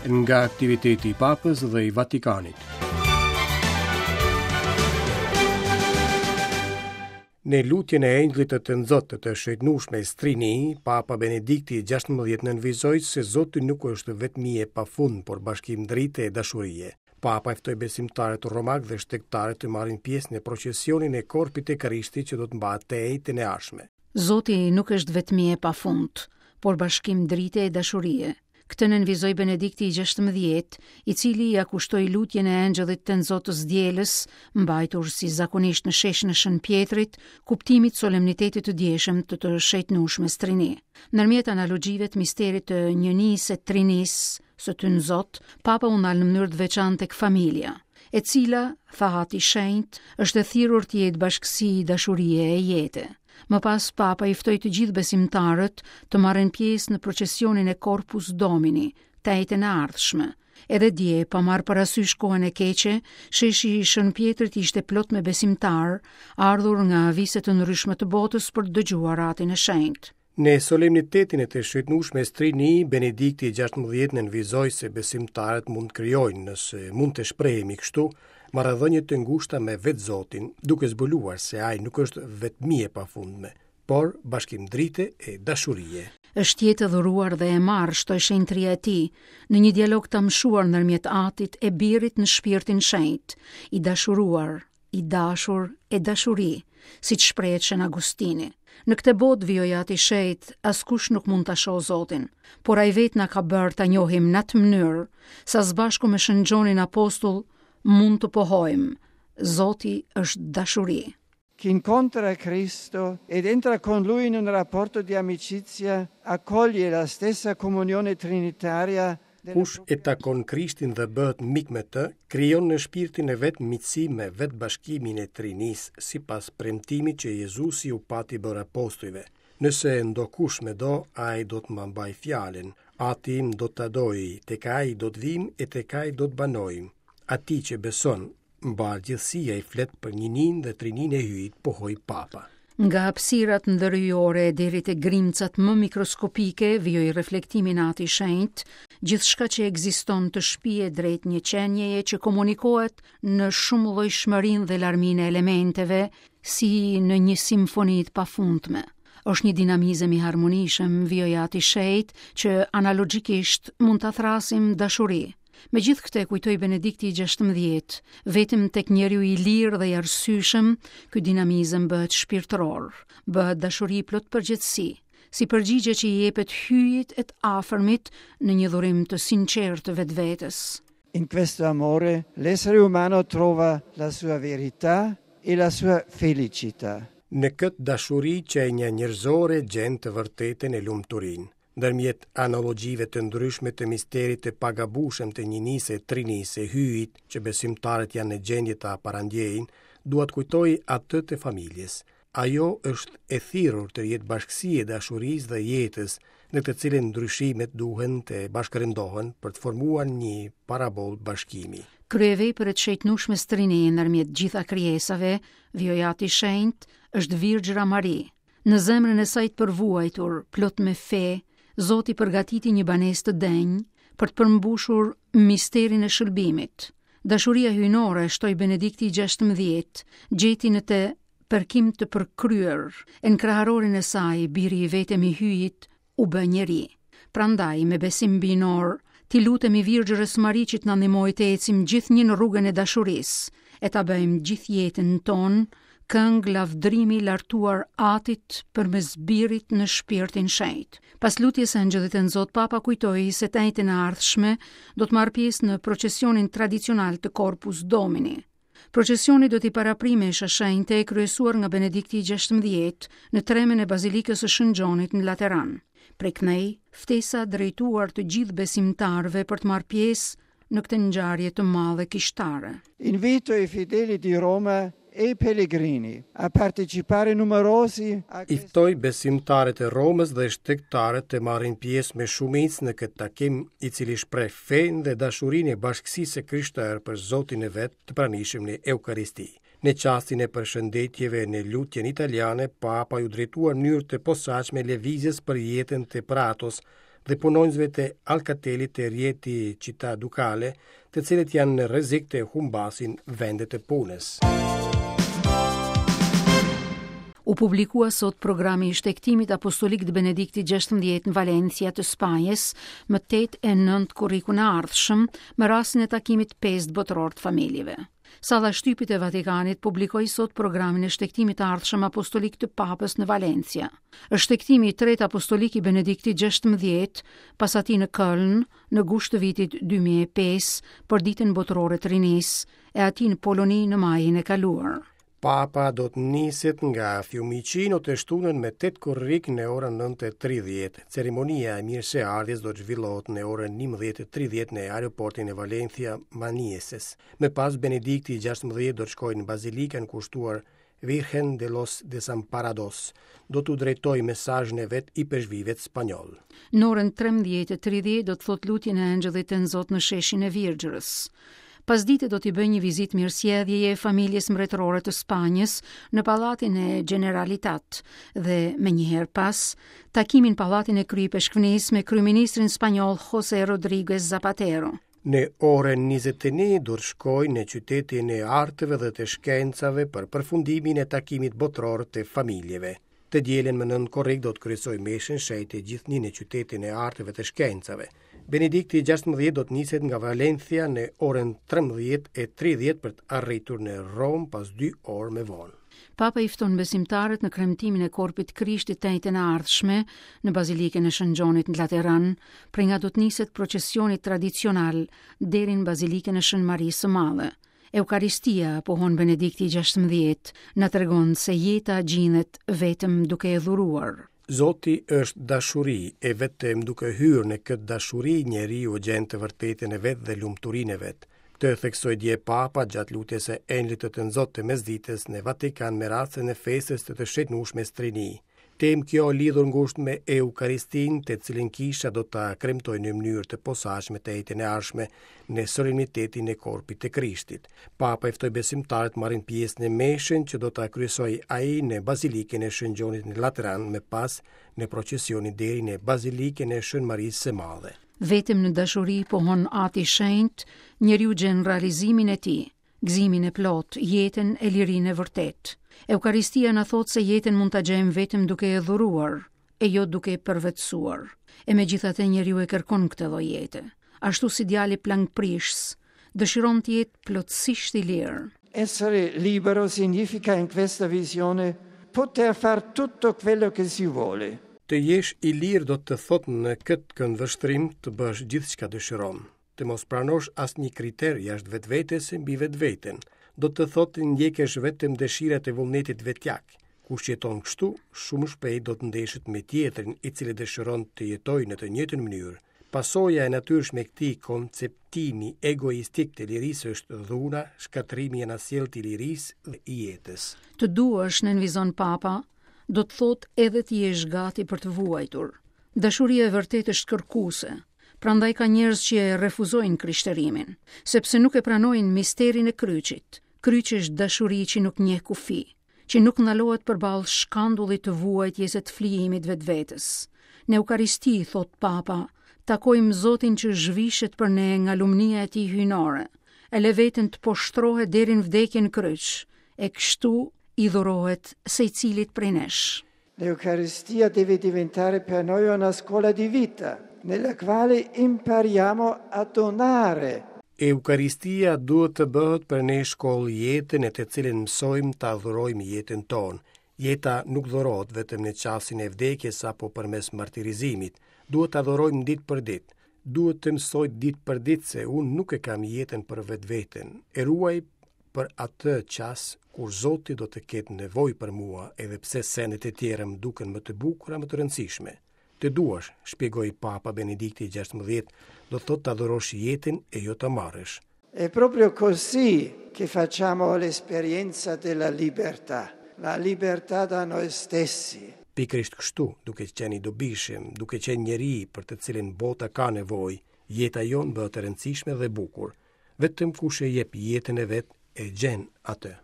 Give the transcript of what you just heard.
Nga aktiviteti i Papës dhe i Vatikanit. Në lutjen e Engjëllit të Tënzot të të Shejtnushmes Trini, Papa Benedikti i 16 nënvizoi se Zoti nuk është vetmi e pafund, por bashkim drite e dashurie. Papa i ftoi besimtarët romakë dhe shtegtarët të marrin pjesë në procesionin e Korpit të Krishtit që do të mbahet të enjten e ardhshme. Zoti nuk është vetmi e pafund, por bashkim drite e dashurie. Këtë nënvizoi Benedikti i 16, i cili ia kushtoi lutjen e Engjëllit Tënzot të së dielës, mbajtur si zakonisht në sheshin e Shën Pjetrit, kuptimit solemnitetit të djeshëm të të Shejtnushmes Trini. Ndërmjet analogjive të misterit të njënisë e trinisë së Tynzot, Papa u ndal në mënyrë të veçantë tek familja, e cila, tha Ati i Shenjtë, është e thirrur të jetë bashkësi dashurie e jete. Më pas Papa i ftoi të gjithë besimtarët të marrin pjesë në procesionin e Corpus Domini, të enjten e ardhshme. Edhe dje, pa marrë parasysh kohën e keqe, sheshi i Shën Pjetrit ishte plot me besimtarë, ardhur nga vise të ndryshme të botës për të dëgjuar Atin e Shenjtë. Në solemnitetin e të Shejtnushmes Trini, Benedikti i 16 nënvizoi se besimtarët mund të krijojnë, nëse mund të shprehemi kështu, marrëdhënie të ngushta me vetë Zotin, duke zbuluar se ai nuk është vetmi e pafundme, por bashkim drite e dashurie. Është jetë e dhuruar dhe e marrë, shtoi shenjtëria e tij, në një dialog të amshuar ndërmjet Atit e Birit në Shpirtin Shenjt, i dashuruar, i dashur e dashuri, siç shprehet Shën Agustini. Në këtë botë, vijoi Ati i Shenjtë, askush nuk mund ta shohë Zotin, por ai vetë na ka bërë ta njohim në atë mënyrë, sa së bashku me Shën Gjonin Apostull mund të pohojmë, Zoti është dashuri. Chi incontra Cristo ed entra con lui in un rapporto di amicizia accoglie la stessa comunione trinitaria Kush e takon Krishtin dhe bëhet mik me të, krijon në shpirtin e vet miqësi me vetë bashkimin e Trinisë, sipas premtimit që Jezusi u pati bërë apostujve. Nëse ndokush më do, ai do të ma mbajë fjalën. Ati im do ta dojë, tek ai do të vijmë e tek ai do të banojmë. Atij që beson, Mbarë gjithësia i flet për njëninë dhe trininë e Hyjit, pohoi Papa. Nga hapësirat ndëryjore deri te grimcat më mikroskopike, vijoi reflektimin Ati i Shenjtë, gjithçka që ekziston të shpie drejt një qenieje që komunikohet në shumëllojshmërinë dhe larminë e elementeve, si në një simfoni të pafundme. Është një dinamizëm i harmonishëm, vijoi Ati i Shenjtë, që analogjikisht mund ta thërrasim dashuri. Megjithëkëtë, kujtoi Benedikti i 16, vetëm tek njeriu i lirë dhe i arsyeshëm, ky dinamizëm bëhet shpirtëror, bëhet dashuri plot përgjegjësi, si përgjigje që i jepet Hyjit e të afërmit në një dhurim të sinqertë të vetvetes. In questo amore l'essere umano trova la sua verità e la sua felicità. Në këtë dashuri qenia njerëzore gjen të vërtetën e lumturinë. Ndërmjet analogjive të ndryshme të misterit të pagabueshëm të njënisë e trinisë së Hyjit, që besimtarët janë në gjendje ta parandjejnë, dua të kujtoj atë të familjes. Ajo është e thirrur të jetë bashkësi e dashurisë dhe jetës, në të cilën ndryshimet duhen të bashkërendohen për të formuar një parabolë bashkimi. Kryevepër e të Shejtnushmes Trini ndërmjet gjitha krijesave, vijoi Ati i Shenjtë, është Virgjëra Mari, Në zemrën e saj të përvuajtur, plot me fe, Zoti përgatiti një banesë të denjë për të përmbushur misterin e shëlbimit. Dashuria hyjnore, shtoi Benedikti i 16, gjeti në të përkim të përkryer, e në kraharorin e saj, biri i vetëm i Hyjit, u bë njeri. Prandaj, me besim hyjnor, t'i lutemi Virgjërës Mari që të na ndihmojë të ecim gjithnjë në rrugën e dashurisë, e ta bëjmë gjithë jetën tonë këngë lavdërimi lartuar Atit përmes Birit në Shpirtin Shenjt. Pas lutjes së Engjëllit Tënzot, Papa kujtoi se të enjten e ardhshme do të marrë pjesë në procesionin tradicional të Corpus Domini. Procesioni do t'i paraprijë mesha shenjte e kryesuar nga Benedikti i 16 në tremen e Bazilikës së Shën Gjonit në Lateran. Prej këndej, ftesa drejtuar të gjithë besimtarëve për të marrë pjesë në këtë ngjarje të madhe kishtare. Invito i fedeli di Roma e i pellegrini a partecipare numerosi a I ftoj besimtarët e Romës dhe shtegtarët të marrin pjesë me shumicë në këtë takim, i cili shpreh fenë dhe dashurinë e bashkësisë së krishterë për Zotin e vet të pranishëm në Eukaristi. Në çastin e përshëndetjeve në lutjen italiane, Papa iu drejtua në mënyrë të posaçme lëvizjes për jetën të Pratos. dhe punonjësve të Alcatelit të Rieti Città Ducale, të cilët janë në rrezik të humbasin vendet e punës. U publikua sot programi i shtegtimit apostolik të Benediktit 16 në Valencia të Spanjës më 8 e 9 korrikun e ardhshëm me rastin e takimit 5 botëror të familjeve. Salla e shtypit e Vatikanit publikoi sot programin e shtegtimit të ardhshëm apostolik të Papës në Valencia. Është shtegtimi i tretë apostolik i Benediktit 16, pas atij në Köln, në gusht të vitit 2005, për ditën botërore të rinisë, e atij në Poloni në majin e kaluar. Papa do të niset nga Fiumicino të shtunën me 8 korrik në orën 9:30. Ceremonia e mirëseardhjes do të zhvillohet në orën 11:30 në aeroportin e Valencia Manises. Më pas Benedikti i 16 do të shkojë në bazilikën kushtuar Virgen de los Desamparados. Do t'u drejtojë mesazhin e vet ipeshkvijve spanjollë. Në orën 13:30 do të thotë lutjen e Engjëllit Tënzot në sheshin e Virgjërës. Pasdite do t'i bëjë një vizitë mirësjelljeje familjes mbretërore të Spanjës në pallatin e Generalitat dhe menjëherë pas takimin në pallatin e Kryeipeshkvnisë me kryeministrin spanjoll José Rodríguez Zapatero. Në orën 21 do të shkojë në qytetin e arteve dhe të shkencave për përfundimin e takimit botëror të familjeve. Të dielën më 9 korrik do të kryesojë meshën e shenjtë gjithnjë në qytetin e arteve të shkencave. Benedikti i 16 do të niset nga Valencia në orën 13:30 për të arritur në Romë pas 2 orë më vonë. Papa i fton besimtarët në kremtimin e korpit të Krishtit të enjten e ardhshme në Bazilikën e Shën Gjonit në Lateran, prej nga do të niset procesioni tradicional deri në Bazilikën e Shën Marisë së Madhe. Eukaristia, pohon Benedikti i 16, na tregon se jeta gjindet vetëm duke e dhuruar. Zoti është dashuri, e vetëm duke hyrë në këtë dashuri njeriu gjen të vërtetën e vet dhe lumturinë e vet. Këtë e theksoi dje Papa gjatë lutjes së Engjëllit të Tënzot të mesditës në Vatikan me rastin e festës të të Shenjtnueshmes Trini. Temë kjo lidhur ngushtë me Eukaristinë, të cilën kisha do ta kremtojë në mënyrë të posaçme të enjten e ardhshme në solemnitetin e Korpit të Krishtit. Papa i ftoi besimtarët të marrin pjesë në meshën që do ta kryesojë ai në Bazilikën e Shën Gjonit në Lateran, më pas në procesionin deri në Bazilikën e Shën Marisë së Madhe. Vetëm në dashuri, pohon Ati i Shenjtë, njeriu gjen realizimin e tij. Gëzimin e plotë, jetën e lirinë e vërtetë. Eukaristia na thotë se jetën mund ta gjejmë vetëm duke e dhuruar, e jo duke e përvetësuar. E megjithatë njeriu e kërkon këtë lloj jete. Ashtu si djali plangprishës, dëshiron të jetë plotësisht i lirë. Essere libero significa in questa visione poter far tutto quello che si vuole. Të jesh i lirë do të thotë në këtë këndvështrim të bësh gjithçka dëshiron. Të mos pranosh asnjë kriter jashtë vetvetes e mbi vetveten, do të thotë të ndjekësh vetëm dëshirat e vullnetit vetjak. Kush jeton kështu, shumë shpejt do të ndeshet me tjetrin, i cili dëshiron të jetojë në të njëjtën mënyrë. Pasoja e natyrshme e këtij konceptimi egoistik të lirisë është dhuna, shkatërrimi i anasjelltë i lirisë dhe i jetës. Të duash, nënvizon Papa, do të thotë edhe të jesh gati për të vuajtur. Dashuria e vërtetë është kërkuese, Prandaj ka njerëz që e refuzojnë krishterimin, sepse nuk e pranojnë misterin e kryqit. Kryqi është dashuri që nuk njeh kufi, që nuk ndalohet përballë shkandullit të vuajtjes e të flijimit vetvetes. Në Eukaristi, thotë Papa, takojmë Zotin që zhvishet për ne nga lumnia e tij hyjnore, e lë veten të poshtrohet deri në vdekje në kryq, e kështu i dhurohet secilit prej nesh. L'Eucaristia deve diventare per noi una scuola di vita, nella quale impariamo a donare. Eukaristia duhet të bëhet për ne shkollë jete në të cilën mësojmë ta dhurojmë jetën tonë. Jeta nuk dhurohet vetëm në çastin e vdekjes apo përmes martirizimit. Duhet ta dhurojmë ditë për ditë. Duhet të mësoj ditë për ditë se unë nuk e kam jetën për vetveten. E ruaj për atë çast kur Zoti do të ketë nevojë për mua, edhe pse sendet e tjera më duken më të bukura, më të rëndësishme. Të duash, shpjegoi Papa Benedikti i 16, do të thotë ta dhurosh jetën e jo ta marrësh. È proprio così che facciamo l'esperienza della libertà, la libertà da noi stessi. Pikërisht kështu, duke qenë i dobishëm, duke qenë njeri për të cilin bota ka nevojë, jeta jonë bëhet e rëndësishme dhe e bukur. Vetëm kush e jep jetën e vet e gjen atë.